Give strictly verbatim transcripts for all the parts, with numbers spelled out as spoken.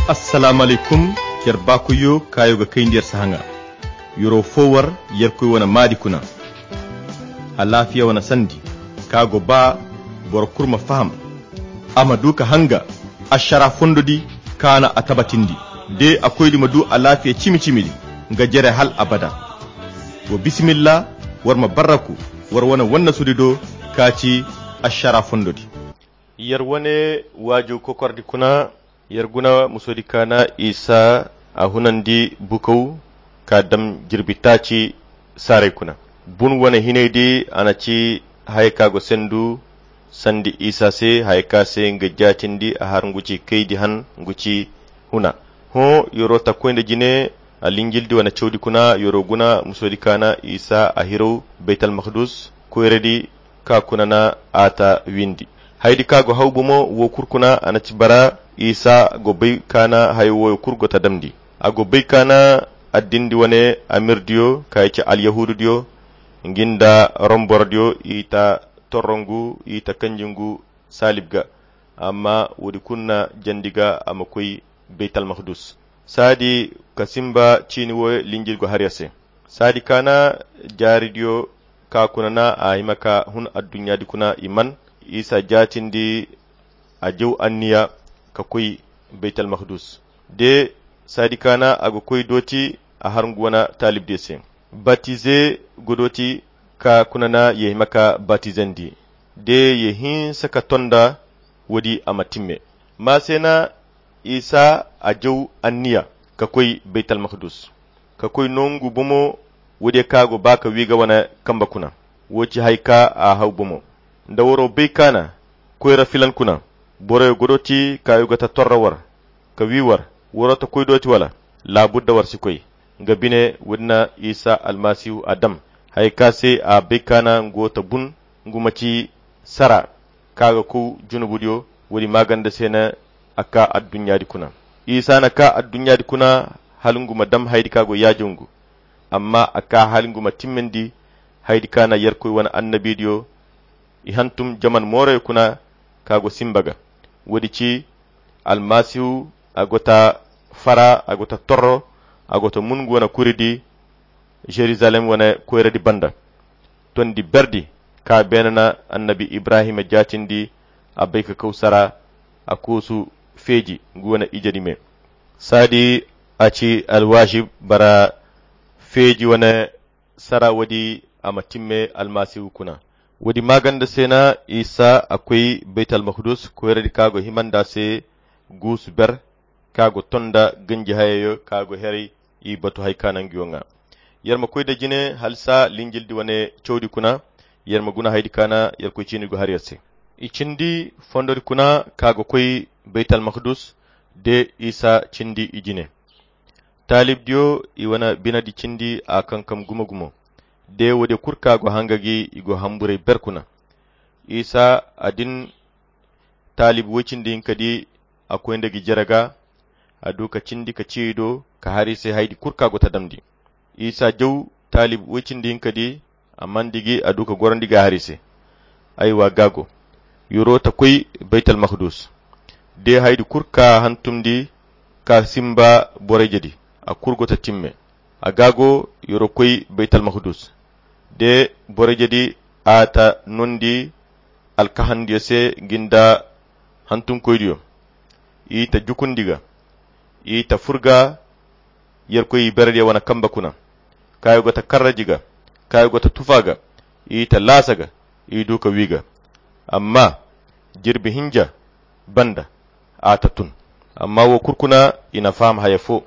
Assalamu alaykum. Yer baakoyyo kaayo ga kayndi yer sahaŋa. Yoro fo war yerkoy wane maadi kuna. Alaafiya wane sandi ka go ba boro kulu ma faham, a ma du ka hanga ašara fondo di kaana a tabatindi de a koydi ma du alaafiya cimi-cimi di nga jere hal abada. Wa bisimilla, war ma barraku war wane wannasudi do ka ci ašara fondo di. Yer wane waaju kokordi kuna. Yer guna musoodi kaana isa a hunandi bukow ka dam jirbi taaci saaray kuna. Bun wane hinay di a na ci haya ka go sendu sandi isa se haya ka se nga jaatindi a har ngu ci kaydi han ngu ci huna. Hõ yoro takkoy nda jine a linjildi wane cawdi kuna yoro guna musoodi kaana isa a hiraw baytal makdus koyradi ka kuna na a ta windi. Haydi ka go haw bomo wo kulu kuna a na ci bara isa go bay kaana hayo woyo kulu go ta damndi. A go bay kaana addindi wane amirdiyo ka i ci alyahududiyo ngi nda rombordiyo i ta torrongu i ta kanjingu saalib ga. Amma woodi kulu na jandi ga a ma koy baytal makdus. Saadi ka simba ciini woyo linjil go har yer se. Saadi kaana jaaridiyo ka kuna na a hima ka hun adduɲɲaadi kuna i man isa jaatindi a jaw anniya ka koy baytal makdus. De saadi kaana a go koy dooti a har ngu wane taalibdiyo se. Batize go dooti ka kuna na ye hima ka batizandi de ye hinsa ka tonda woodi a ma timme. Maa se na isa a jaw anniya ka koy baytal makdus ka koy nongu bomo. Woodiyo ka go ba ka wi ga wane kamba kuna wo ci hay ka a haw bomo. Nda waro bay kaana koyra filan kuna boroyo godo ti ka yo ga ta torra war ka wi war waro ta koy do ti wala? Laabudda war si koy. Nga bine woodi na isa almasihu a dam hay ka se a bay kaana ngu wo ta bun ngu ma ci sara ka ga kow junubudiyo. Woodi maaganda se na a ka adduɲɲaadi kuna isa na ka adduɲɲaadi kuna hala ngu ma dam haydi ka go yaajo ngu. Amma a ka hala ngu ma timmandi haydi ka na yerkoy wane annabiidiyo i hantum jaman mooray kuna ka go simba ga. Woodi ci almasihu a go ta fara a go ta torro a go ta mun ngu wane kuridi jerusalem wane koyradi banda. Tondi berdi ka beene na annabi ibrahima jaatindi a bay ka kaw sara a koosu feeji ngu wane ijedi me. Saadi a ci alwaazib bara feeji wane sara woodi a ma timme almasihu kuna. Woodi maaganda se na isa a koy baytal makdus koyradi ka go hima nd'a se guusu ber ka go tonda ganji hayayo ka go heray i batu hay ka nanguyo ŋwa. Yer ma koy nda jine hala saa linjildi wane cawdi kuna. Yer ma guna haydi ka na yerkoy ciini go har yer se. I cindi fondodi kuna ka go koy baytal makdus de isa cindi i jine. Taalibdiyo i wane binedi cindi a kankam gumo-gumo. De woodiyo kulu ka go hanga gi i go hamburey ber kuna. Isa a din taalib woy cindi hinka di a koy nda gi jere ga. A du ka cindi ka ciyo i do ka har i se haydi kulu ka go ta damndi. Isa jaw taalib woy cindi hinka di a mandi gi a du ka gorandi ga har i se. Aywa ga go yoro ta koy baytal makdus. De haydi kulu ka hantumndi ka simba borey jadi a kulu go ta timme. A ga go yoro koy baytal makdus. De borey jadi a ta nondi alkahandiyo se ngi nda hantumkoydiyo. I ta jukundi ga i ta fur ga yerkoy iberediyo wane kamba kuna. Kaayo go ta karraji ga kaayo go ta tufa ga i ta laasa ga i du ka wi ga. Amma jirbi hinja banda a ta tun. Amma wo kulu kuna i na faham haya fo.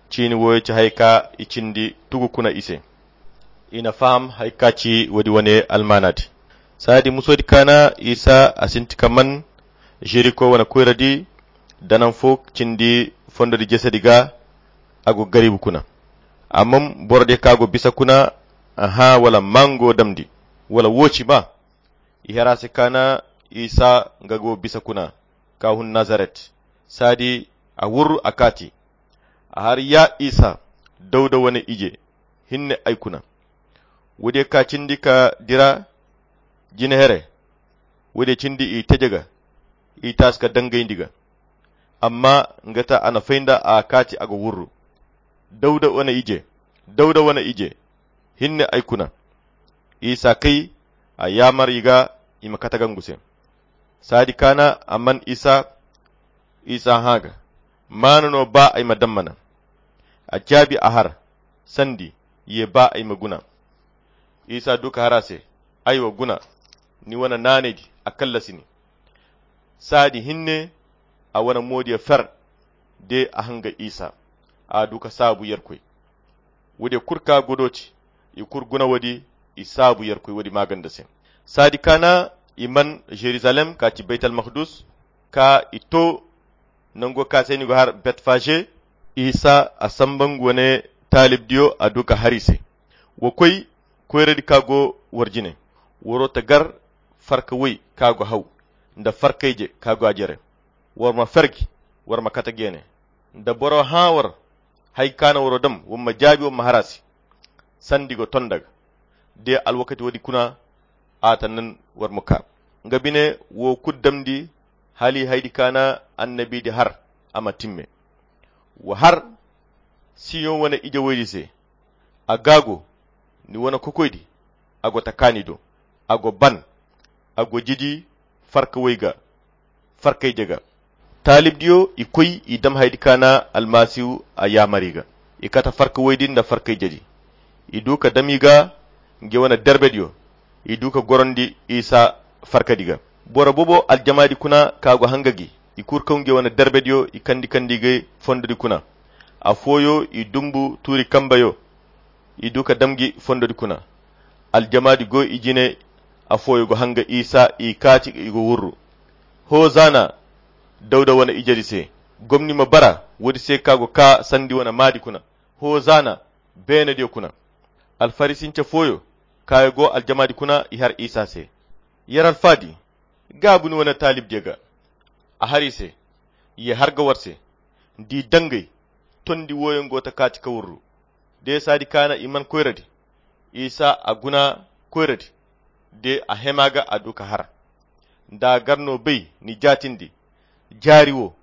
Ciini woyo ci haya ka i cindi tugu kuna i se. I na faham haya ka ci woodi wane almaanaadi. Saadi musoodi ka na isa a sinti ka man jeriko wane koyradi da naŋ fo cindi fondodi jesedi ga. A go garibu kuna. Amma borodiyo ka go bisa kuna. Aha wala mango damndi wala wooci ma. I hera se ka na isa nga go bisa kuna ka hun nazaret. Saadi a wurru a kaati a har ya isa dawda wane ije hinne ay kuna. Woodiyo ka cindi ka dira jine here. Woodiyo cindi i teje ga i taasi ka dangayndi ga. Amma nga ta a na fay nda a kaati a go wurru. Dawda wane ije, dawda wane ije, hinne ay kuna. Isa kay, a yaamar i ga i ma kate gangu se. Saadi kaana a man isa isa hã ga, maana no ba ay ma dammana. A jaabi a har, sandi ye ba ay ma guna. Isa du ka har a se, ay wa guna. Ni wane naanay di a kallasi ni. Saadi hinne a wane moodiyo fer. De a hanga isa a du ka saabu yerkoy. Woodiyo kul ka godooti i kul guna woodi. I saabu yerkoy woodi maaganda se. Saadi kaana i man jerusalem ka ci baytal makdus ka i to nango ka se ni go har betfaje. Isa a samba nga wane taalibdiyo a du ka har i se. Wa koy koyradi ka go war jine. Waro ta gar farka woy ka go haw nda farkayje ka go a jere. War ma ferji, war ma kate geene. Da boro hã war hay kaana waro dam war ma jaabi war ma har a se. Sandi go ton daga de alwakati woodi kuna. A ta nan war ma ka nga bine wo kul damndi hali haydi kaana annabidi har a ma timme. Wa har siyoŋ wane ije woydi se. A gaago ni wane kokoydi. A go ta kaani do a go ban. A go jidi farka woy ga farkayje ga. Taalibdiyo i koy i dam haydi kaana almasihu a yaamar i ga. I kate farka woydi nda farkayjedi i du ka dam i ga. Nge wane derbediyo i du ka gorondi isa farkadi ga. Boro boobo aljamaadi kuna ka go hanga gi i kul kaw nge wane derbediyo i kandi kandi ga fondodi kuna. Afooyo i dumbu tuuri kambeyo i du ka dam gi fondodi kuna. Aljamaadi go i jine. Afooyo go hanga isa i kaati i go wurru. Hozana dawda wane ijedi se. Gomni ma bara woodi se ka go ka sandi wane maadi kuna. Hozana beenediyo kuna. Alfarisince fooyo kaayo go aljamaadi kuna i har isa se. Yer alfaadi gaabu ni wane taalibdiyo ga. A har i se. Ye har ga war se. Di dangey tondi wooyoŋ go ta kaati ka wurru. De saadi kaana i man koyradi. Isa a guna koyradi. De a hema ga a du ka har. Nda a gar no bay ni jaatindi jaari wo.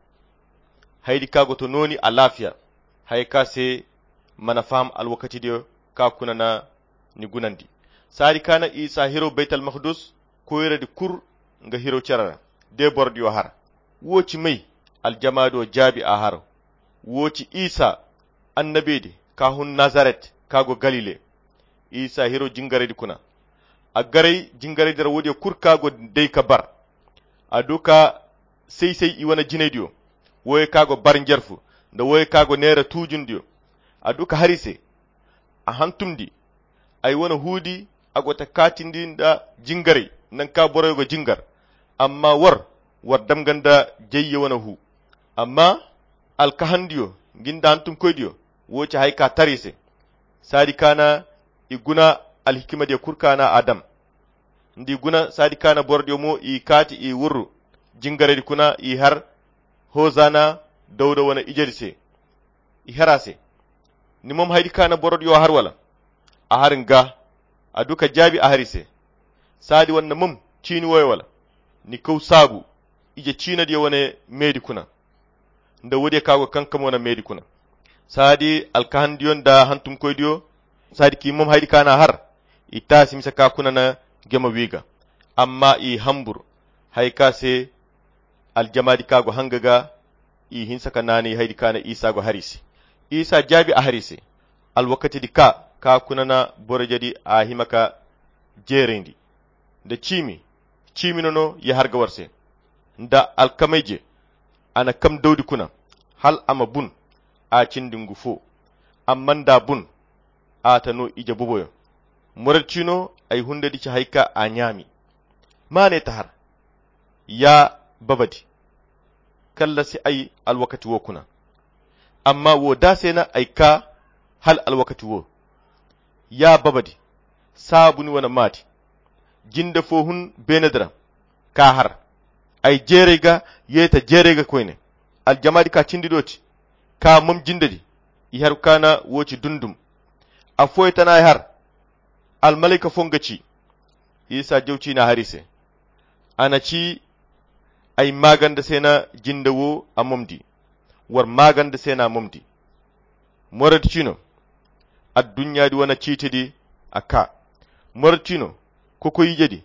Haydi ka go to nooni alaafiya. Haya ka se mana faham alwakatidiyo ka kuna na ni gunandi. Saadi kaana isa hiro baytal makdus koyradi kul nga hiro cere ra. De borodiyo har. Wo ci may? Aljamaado jaabi a har. Wo ci isa annabedi ka hun nazaret ka go galile. Isa hiro jingaraydi kuna. A garay jingaraydi ra woodiyo kul ka go day ka bar. A du ka say-say i wane jinaydiyo. Wooyo ka go bar njarfu nda wooyo ka go neera tuujundiyo. A du ka har i se. A hantumndi ay wane huudi. A go ta kaatindi nda jingaray nanka boroyo go jingar. Amma war war dam ga nda jayye wane huu. Amma alkahandiyo ngi nda hantumkoydiyo wo ci haya ka tar i se. Saadi kaana i guna alhikimadiyo kul kaana a dam. Nda i guna saadi kaana borodiyo mo i kaati i wurru jingaraydi kuna i har. Hozana dawda wane ijedi se. I har a se. Ni mom haydi kaana borodiyo har wala? A har nga. A du ka jaabi a har i se. Saadi wanna mom ciini wooyo wala? Ni kaw saabu ije ciinadiyo wane meedi kuna. Nda woodiyo ka go kankam wane meedi kuna. Saadi alkahandiyo nda hantumkoydiyo saadi k'i mom haydi kaana har. I taasi mise ka kuna na gema wi ga. Amma i hambur haya ka se aljamaadi ka go hanga ga. I hinsa ka naanay haydi kaana isa go har i se. Isa jaabi a har i se. Alwakatidi ka ka kuna na borojedi a hima ka jeerayndi nda ciimi. Ciimi no no ya har ga war se nda alkamayje. A na kam dawdi kuna hal a ma bun. A cindi ngu fo. Amma nda bun a ta no ije boboyo. Moradi ciino ay hundadi ci haya ka a ɲaami. Ma ne ta har. Ya babadi kallasi ay alwakati wo kuna. Amma wo da se na ay ka hal alwakati wo. Ya babadi saabu ni wane maati. Jinde fo hun beenedi ra ka har. Ay jeeray ga yeeta jeeray ga koyne. Aljamaadi ka cindi do ci ka mom jindedi. I har kaana wo ci dundum. Affooyo tana ay har. Almalayka fo nga ci. Isa jaw ciina har i se. A na ci ay maaganda se na jinde wo a momdi. war maaganda se na momdi. Moredi cino adduɲɲaadi wane ciitedi a kaa. Moredi cino kokoyijedi.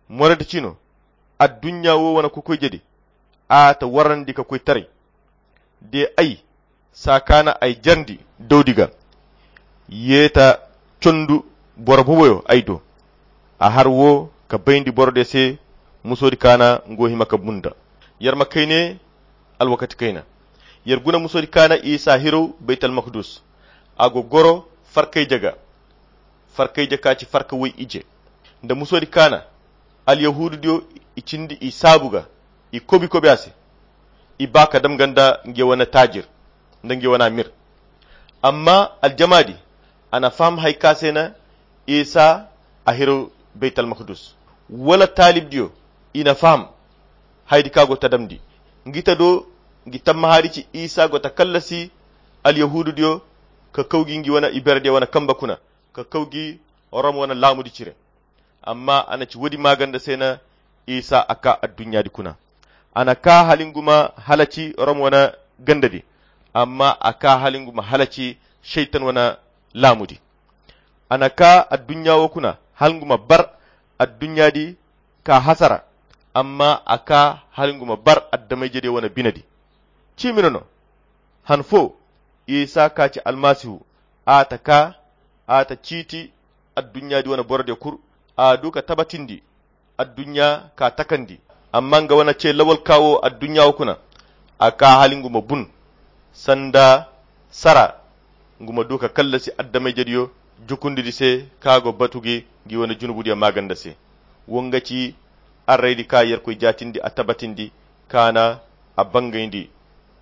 Moredi cino adduɲɲa wo wane kokoyijedi. A ta warandi ka koy taray de ay saakaana ay jarndi dawdi ga. Ye ta condu boro boboyo ay do. A har wo ka bayndi borodiyo se musoodi kaana ngo hima ka bunda. Yer ma kayne alwakati kayna. Yer guna musoodi kaana isa hirow baytal makdus. A go goro farkayje ga farkayje ka ci farka woy ije. Nda musoodi kaana alyahuududiyo i cindi i saabu ga i kobi kobi a se. I ba ka dam ganda nge wane taajir nda nge wane amir. Amma aljamaadi a na faham hay ka se na isa a hiro baytal makdus wala taalibdiyo i na faham haydi ka go ta damndi. Ngi ta do ngi tammahaadi ci isa go ta kallasi alyahuududiyo ka kaw gi ngi wane iberediyo wane kamba kuna ka kaw gi rom wane laamudi cire. Amma a na ci woodi maaganda se na isa a kaa adduɲɲaadi kuna. A na kaa hala ngu ma halaci rom wane gandadi. Amma a kaa hala ngu ma halaci seytan wane laamudi. A na kaa adduɲɲa wo kuna hala ngu ma bar adduɲɲaadi ka hasara. Amma a kaa hala ngu ma bar addamayjediyo wane binedi. Ciimi no no han fo isa ka ci almasihu a ta kaa a ta ciiti adduɲɲaadi wane borodiyo kul. A du ka tabatindi adduɲɲa ka takandi. Amma nga wane ce lawal ka wo adduɲɲa wo kuna a kaa hala ngu ma bun sanda sara ngu ma du ka kallasi addamayjediyo jukundidi se ka go batu gi ngi wane junubudiyo maaganda se. Wo nga ci arraydi ka yerkoy jaatindi a tabatindi ka na a bangayndi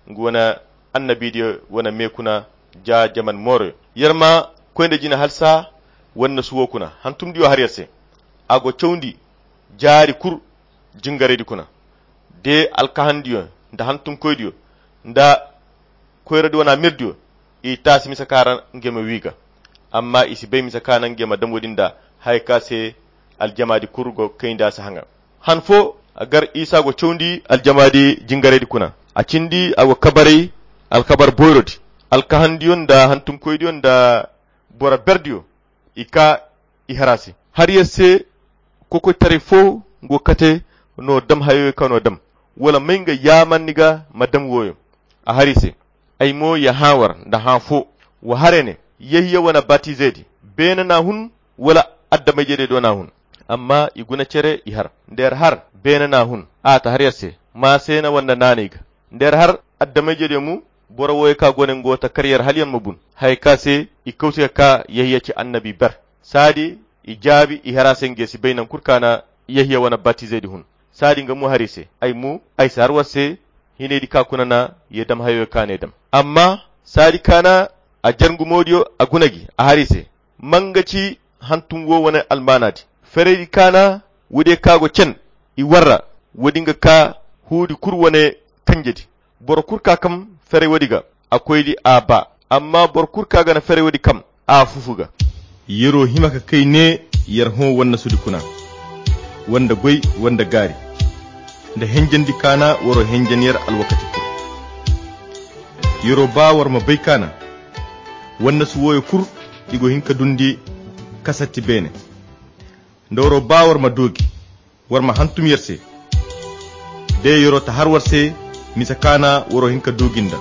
ngu wane annabidiyo wane me kuna ja jaman mooroyo. Yer ma koy nda jina halsa wannasu wo kuna hantumdiyo har yer se. A go cawndi jaari kul jingaraydi kuna de alkahandiyo nda hantumkoydiyo nda koyradi wane amirdiyo. I taasi misa ka ra nge ma wi ga. Amma i si bay misa ka na nge ma dam woodi nda haya ka se aljamaadi kul go kayndi a si haŋa. Han fo a gar isa go cawndi aljamaadi jingaraydi kuna a cindi a go kabaray alkabar boyrodi. Alkahandiyo nda hantumkoydiyo nda boro berdiyo i kaa i har a se. Har yer se kokoytaray fo go kate no dam hayoyo ka no dam wala may nga yaamanni ga ma dam wooyo. A har i se ay mo ya hã war nda hã fo. Wa har ya ne yehiya wane batizedi beene n'a hun wala addamayjediyo do n'a hun? Amma i guna cere i har nda yer har beene n'a hun a ta har yer se. Maa se na wanda naanay ga nda yer har addamayjediyo mo. Boro wooyo ka go ne ngo ta kar yer hala yer ma bun haya ka se i kawti ka kaa yehiya ci annabi ber. Saadi i jaabi i har a se nge si bay naŋ kul ka na yehiya wane batizedi hun. Saadi nga mo har i se ay mo ay si har war se hinaydi ka kuna na ye dam hayoyo ka ne dam. Amma saadi ka na a jar ngu moodiyo a guna gi a har i se ma nga ci hantum wo wane almaanaadi. Feraydi ka na woodiyo ka go cen i war ra woodi nga ka huudi kul wane kanjedi. Boro kul ka kam feray woodi ga a koydi a baa. Amma boro kul ka ga na feray woodi kam a fufu ga. Yer'o hima ka kay ne yer hõ wannasudi kuna wanda goy wanda gaari nda henjandi kaana war'o henjan yer alwakati kul. Yer'o baa war ma bay kaana wannasu wooyo kul i go hin ka dundi kasatti beene. Nda war'o baa war ma doogi war ma hantum yer se. De yer'o ta har war se misa kaana war'o hin ka doogi nda.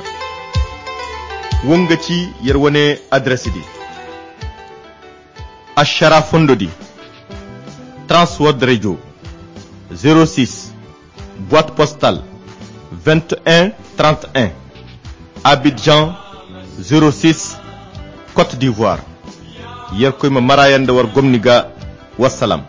Wo nga ci yer wane adres di. Ašara fondo di, transword radio, zero six, boîte postale, vingt et un trente et un, Abidjan, zero six, Côte d'Ivoire. Yerkoy ma maraayanda war gomni ga. Wassalam.